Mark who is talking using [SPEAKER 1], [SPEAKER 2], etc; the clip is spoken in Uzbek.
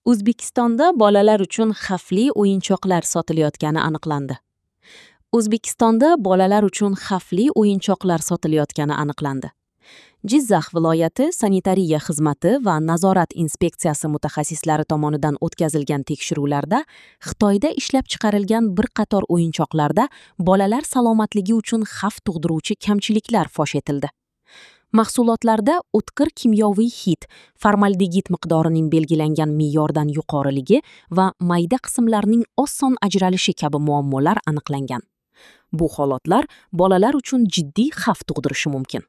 [SPEAKER 1] O'zbekistonda bolalar uchun xavfli o'yinchoqlar sotilayotgani aniqlandi. O'zbekistonda bolalar uchun xavfli o'yinchoqlar sotilayotgani aniqlandi. Jizzax viloyati sanitariya xizmati va nazorat inspeksiyasi mutaxassislari tomonidan o'tkazilgan tekshiruvlarda Xitoyda ishlab chiqarilgan bir qator o'yinchoqlarda bolalar salomatligi uchun xavf tug'diruvchi kamchiliklar fosh etildi. Mahsulotlarda o'tkir kimyoviy hid, formaldegid miqdorining belgilangan me'yordan yuqoriligi va mayda qismlarning oson ajralishi kabi muammolar aniqlangan. Bu holatlar bolalar uchun jiddiy xavf tug'dirishi mumkin.